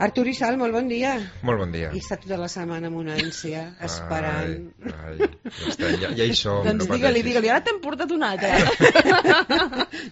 Artur i Sal, molt bon dia. Molt bon dia. He estat tota la setmana amb una ànsia, esperant. Ja hi som. Doncs digue-li, ara t'hem portat una altra.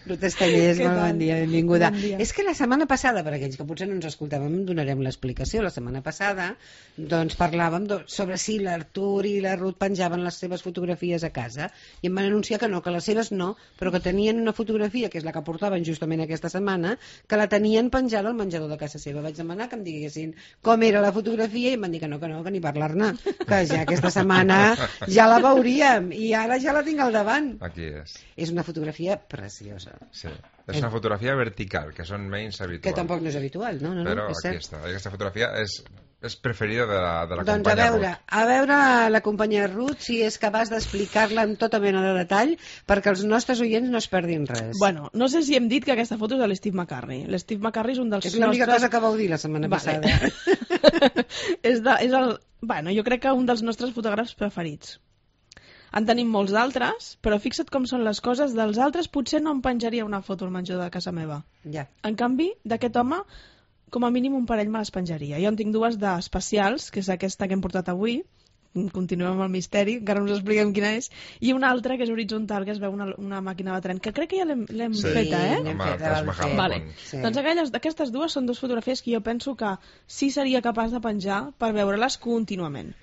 Ruth Estallés, molt bon dia, benvinguda. Bon dia. És que la setmana passada, per aquells que potser no ens escoltàvem, donarem l'explicació. La setmana passada doncs parlàvem sobre si l'Artur i la Ruth penjaven les seves fotografies a casa i em van anunciar que no, que les seves no, però que tenien una fotografia, que és la que portaven justament aquesta setmana, que la tenien penjada al menjador de casa seva. Vaig demanar que em diguessin com era la fotografia i em van dir que no, que ni parlar-ne, que ja aquesta setmana ja la veuríem i ara ja la tinc al davant. Aquí és. És una fotografia preciosa. Sí. És una fotografia vertical, que són menys habituals. Que tampoc no és habitual, no? Però és aquí està. Aquesta fotografia és preferida de la doncs companya Ruth. A veure la companya Ruth si és capaç d'explicar-la amb tota mena de detall perquè els nostres oients no es perdin res. Bueno, no sé si hem dit que aquesta foto és de l'Steve McCurry. L'Steve McCurry és un dels és l'única cosa que vau dir la setmana passada. Jo crec que un dels nostres fotògrafs preferits. En tenim molts d'altres, però fixa't com són les coses. Dels altres potser no em penjaria una foto al menjador de casa meva. Ja. En canvi, d'aquest home, com a mínim un parell me les penjaria. Jo en tinc dues d'especials, que és aquesta que hem portat avui, continuem amb el misteri, encara no us expliquem quina és, i una altra que és horitzontal, que es veu una màquina de tren, que crec que ja l'hem feta, eh? L'hem feta, vale. Sí. Doncs aquestes dues són dues fotografies que jo penso que sí seria capaç de penjar per veure-les contínuament.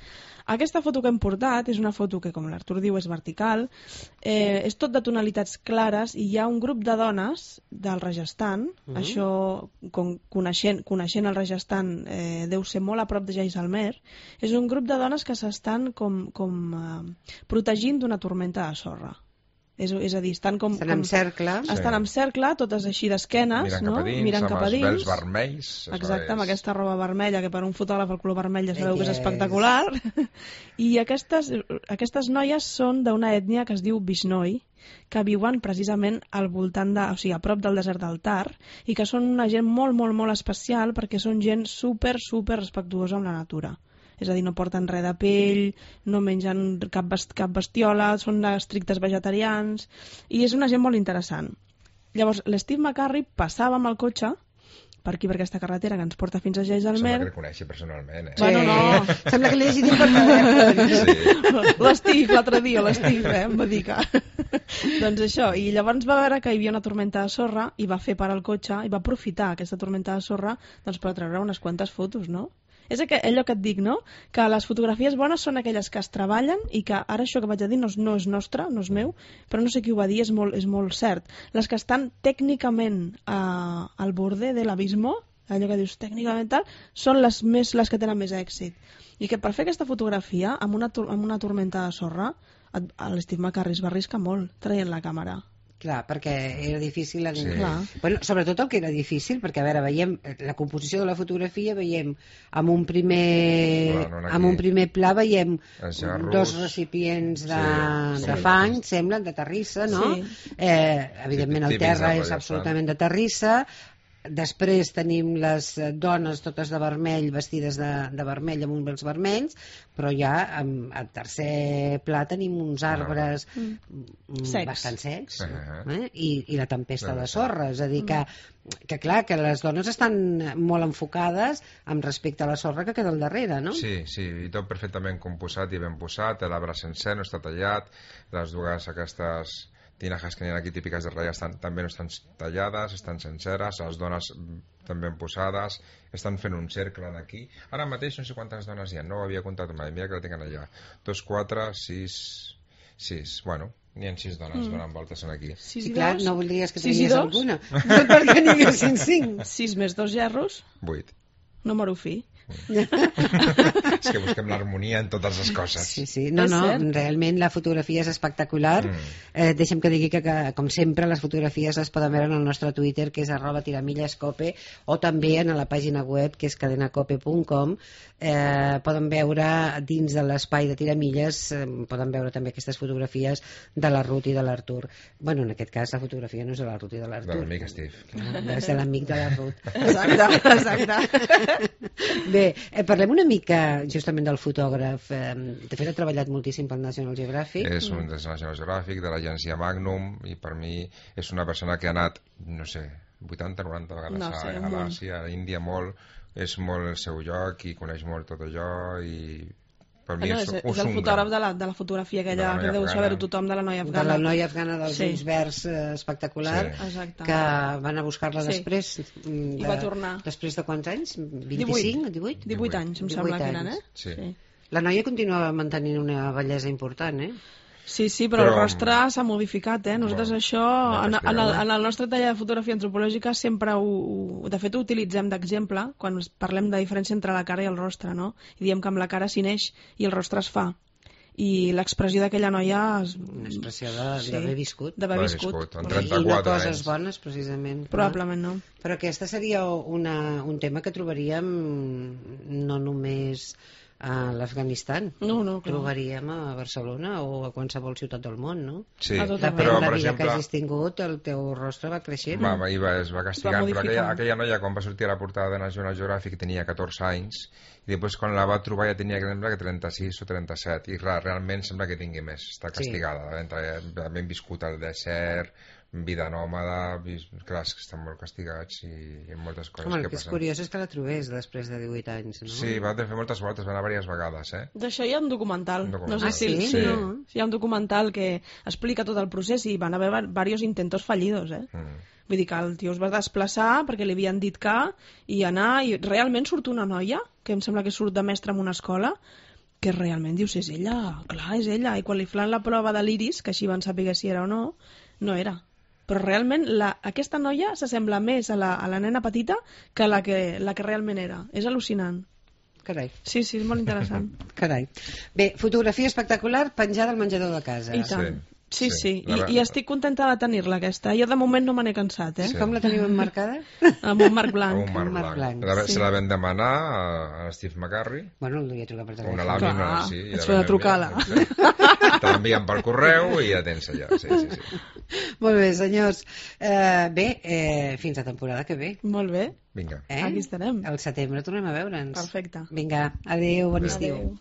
Aquesta foto que hem portat és una foto que, com l'Artur diu, és vertical, és tot de tonalitats clares i hi ha un grup de dones del Rajasthan, això, coneixent el Rajasthan, deu ser molt a prop de Jaisalmer, és un grup de dones que s'estan protegint d'una tormenta de sorra. És a dir, estan en cercle. Estan en cercle, totes així d'esquenes, mirant cap a dins, amb els vels vermells. Exacte, amb aquesta roba vermella, que per un fotògraf el color vermell ja sabeu que és espectacular. I aquestes noies són d'una ètnia que es diu Bishnoi, que viuen precisament al voltant a prop del desert del Thar, i que són una gent molt, molt, molt especial perquè són gent super, super respectuosa amb la natura. És a dir, no porten res de pell, no mengen cap bestiola, són estrictes vegetarians, i és una gent molt interessant. Llavors, l'Steve McCurry passava amb el cotxe per aquí, per aquesta carretera que ens porta fins a Jaisalmer. Sembla que el coneixi personalment, eh? Bueno, no. Sembla que l'he llegit per telèfon. Sí. L'Steve, l'altre dia, l'Steve, em va dir que... Doncs això, i llavors va veure que hi havia una tormenta de sorra i va fer parar el cotxe i va aprofitar aquesta tormenta de sorra doncs, per treure unes quantes fotos, no? És allò que et dic, no? Que les fotografies bones són aquelles que es treballen i que ara això que vaig a dir no és nostre, no és meu, però no sé qui ho va dir, és molt cert. Les que estan tècnicament al borde de l'abismo, allò que dius tècnicament tal, són les que tenen més èxit. I que per fer aquesta fotografia amb una tormenta de sorra, l'Steve McCurry es va arriscar molt traient la càmera. Clar, perquè era difícil. Sí. Bueno, sobretot el que era difícil, perquè a veure, veiem la composició de la fotografia, veiem amb un primer pla veiem dos recipients de fang, semblen, de terrissa, no? Sí. Evidentment el terra és absolutament de terrissa. Després tenim les dones totes de vermell, vestides de vermell amb uns vels vermells, però ja al tercer pla tenim uns arbres bastant secs, i la tempesta de sorra. És a dir que clar, que les dones estan molt enfocades amb respecte a la sorra que queda al darrere, no? Sí, i tot perfectament composat i ben posat, l'arbre sencer no està tallat, les dues aquestes tinajes que n'hi ha aquí típiques de Rajasthan també no estan tallades, estan senceres, les dones també ben posades, estan fent un cercle aquí. Ara mateix no sé quantes dones hi ha, no ho havia comptat mai, mira que la tinc allà. 2, 4, 6, bueno, n'hi ha 6 dones donant voltes aquí. Sí, clar, no voldries que tingués alguna, perquè n'hi haguessin 5. 6 més 2 gerros? 8. Número fi. És que busquem l'harmonia en totes les coses. Sí, no, realment la fotografia és espectacular. Deixa'm que digui que com sempre les fotografies les poden veure en el nostre Twitter, que és @tiramillescope, o també en la pàgina web, que és cadenacope.com. Poden veure dins de l'espai de Tiramilles, poden veure també aquestes fotografies de la Ruth i de l'Artur. Bueno, en aquest cas la fotografia no és de la Ruth i de l'Artur, de l'amic Steve, és de l'amic de la Ruth. Exacte. Bé, parlem una mica justament del fotògraf. De fet ha treballat moltíssim pel National Geographic. És un del National Geographic, de l'agència Magnum, i per mi és una persona que ha anat, no sé, 80-90 vegades a l'Àsia, a l'Índia, molt, és molt el seu lloc i coneix molt tot allò i per mi és el fotògraf de la fotografia aquella que deu saber-ho tothom, de la noia afgana. De la noia afgana dels ulls verds espectacular, que van a buscar-la després. I va tornar. Després de quants anys? 25? 18 anys, em sembla que eren, eh? Sí. La noia continuava mantenint una bellesa important, eh? Sí, però el rostre s'ha modificat, eh? Nosaltres això, en el nostre taller de fotografia antropològica sempre de fet ho utilitzem d'exemple quan parlem de diferència entre la cara i el rostre, no? I diem que amb la cara s'hi neix i el rostre es fa. I l'expressió d'aquella noia... Una expressió d'haver viscut. D'haver viscut. Amb 34 anys. I no coses bones, precisament. Probablement no. Però aquesta seria un tema que trobaríem no només a l'Afganistan. No, clar. Trobaríem a Barcelona o a qualsevol ciutat del món, no? Sí, depèn de la vida que hagis tingut, el teu rostre va creixent. Es va castigant, però aquella noia quan va sortir a la portada de National Geographic tenia 14 anys i després quan la va trobar ja tenia que 36 o 37 i clar, realment sembla que tingui més, està castigada, ben viscut al desert, vida nòmada, clar, que estan molt castigats i moltes coses que passen. El que és curiós és que la trobés després de 18 anys, no? Sí, va fer moltes voltes, va anar diverses vegades, eh? D'això hi ha un documental. No sé si sí. Hi ha un documental que explica tot el procés i van haver diversos intentos fallidos, eh? Vull dir que el tio es va desplaçar perquè li havien dit que i anar, i realment surt una noia, que em sembla que surt de mestra en una escola, que realment dius, és ella, clar, és ella, i quan li fan la prova de l'iris, que així van saber si era o no, no era. Però realment aquesta noia s'assembla més a la nena petita que la que realment era. És al·lucinant. Carai. Sí, és molt interessant. Carai. Bé, fotografia espectacular penjada al menjador de casa. I tant. Sí. I estic contenta de tenir-la, aquesta. Jo de moment no me n'he cansat, eh? Sí. Com la teniu emmarcada? Amb un marc blanc. Amb un marc blanc. Se la vam demanar a Steve McCurry. Bueno, li he trucat per telèfon. Una làmina, sí. Ets de trucar-la. Te l'envien per correu i ja tens allà. Sí. Molt bé, senyors. Fins a temporada que ve. Molt bé. Vinga. Aquí estarem. Al setembre tornem a veure'ns. Perfecte. Vinga, adéu, bon estiu. Adéu.